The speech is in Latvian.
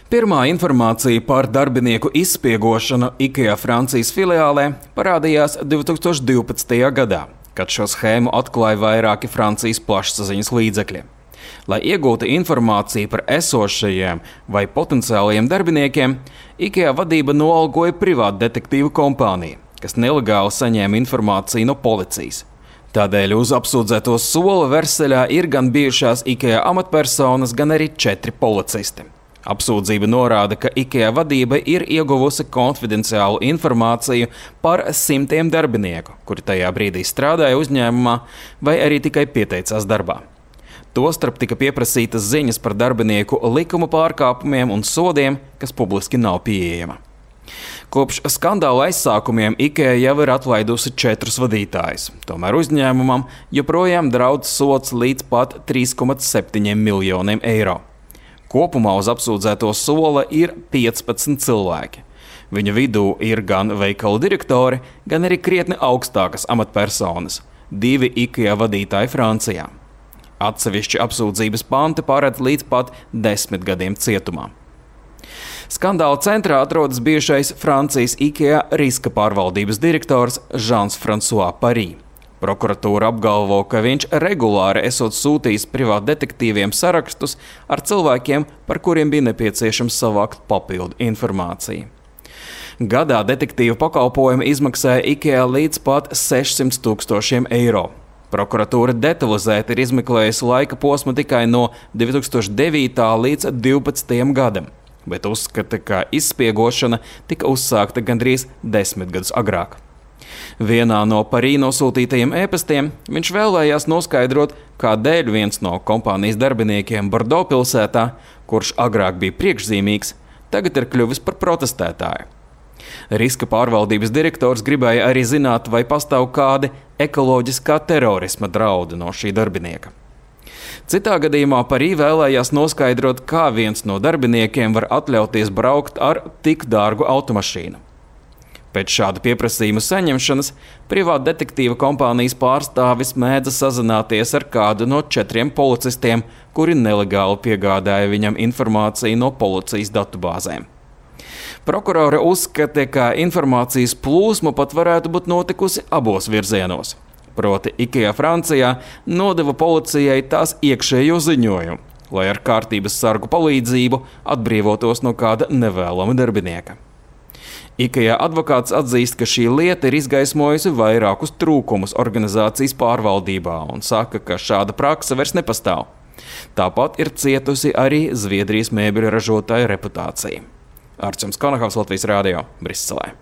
Pirmā informācija par darbinieku izspiegošanu IKEA Francijas filiālē parādījās 2012. gadā, kad šo schēmu atklāja vairāki Francijas plašsaziņas līdzekļi. Lai iegūtu informāciju par esošajiem vai potenciālajiem darbiniekiem, IKEA vadība noalgoja privātu detektīvu kompāniju, kas nelegāli saņēma informāciju no policijas. Tādēļ uz apsūdzēto sola Verseļā ir gan bijušās IKEA amatpersonas, gan arī 4 policisti. Apsūdzība norāda, ka IKEA vadība ir ieguvusi konfidenciālu informāciju par simtiem darbinieku, kuri tajā brīdī strādāja uzņēmumā vai arī tikai pieteicās darbā. Tostarp tika pieprasītas ziņas par darbinieku likuma pārkāpumiem un sodiem, kas publiski nav pieejama. Kopš skandāla aizsākumiem IKEA jau ir atlaidusi 4 vadītājus, tomēr uzņēmumam joprojām draudz sods līdz pat 3,7 miljoniem eiro. Kopumā uz apsūdzēto sola ir 15 cilvēki. Viņu vidū ir gan veikalu direktori, gan arī krietni augstākas amatpersonas – 2 IKEA vadītāji Francijā. Atsevišķi apsūdzības panti paredz līdz pat 10 gadiem cietumā. Skandāla centrā atrodas bijušais Francijas IKEA riska pārvaldības direktors Jean-François Paris. Prokuratūra apgalvo, ka viņš regulāri esot sūtījis privātu detektīviem sarakstus ar cilvēkiem, par kuriem bija nepieciešams savākt papildu informāciju. Gadā detektīva pakalpojumi izmaksāja IKEA līdz pat 600 000 eiro. Prokuratūra detalizēti ir izmeklējusi laika posmu tikai no 2009. līdz 2012. gadam, bet uzskata, ka izspiegošana tika uzsākta gandrīz 10 gadus agrāk. Vienā no Parī nosūtītajiem ēpastiem viņš vēlējās noskaidrot, kādēļ viens no kompānijas darbiniekiem Bordo pilsētā, kurš agrāk bija priekšzīmīgs, tagad ir kļuvis par protestētāju. Riska pārvaldības direktors gribēja arī zināt, vai pastāv kādi ekoloģiskā terorisma draudi no šī darbinieka. Citā gadījumā Parī vēlējās noskaidrot, kā viens no darbiniekiem var atļauties braukt ar tik dārgu automašīnu. Pēc šāda pieprasījuma saņemšanas privāta detektīva kompānijas pārstāvis mēdza sazināties ar kādu no 4 policistiem, kuri nelegāli piegādāja viņam informāciju no policijas datubāzēm. Prokurore uzskata, ka informācijas plūsma pat varētu būt notikusi abos virzienos. Proti IKEA Francijā nodeva policijai tās iekšējo ziņojumu, lai ar kārtības sargu palīdzību atbrīvotos no kāda nevēlama darbinieka. IKEA advokāts atzīst, ka šī lieta ir izgaismojusi vairākus trūkumus organizācijas pārvaldībā un saka, ka šāda prakse vairs nepastāv. Tāpat ir cietusi arī Zviedrijas mēbeļu ražotāja reputācija. Arčuns Konahavs, Latvijas radio, Briselē.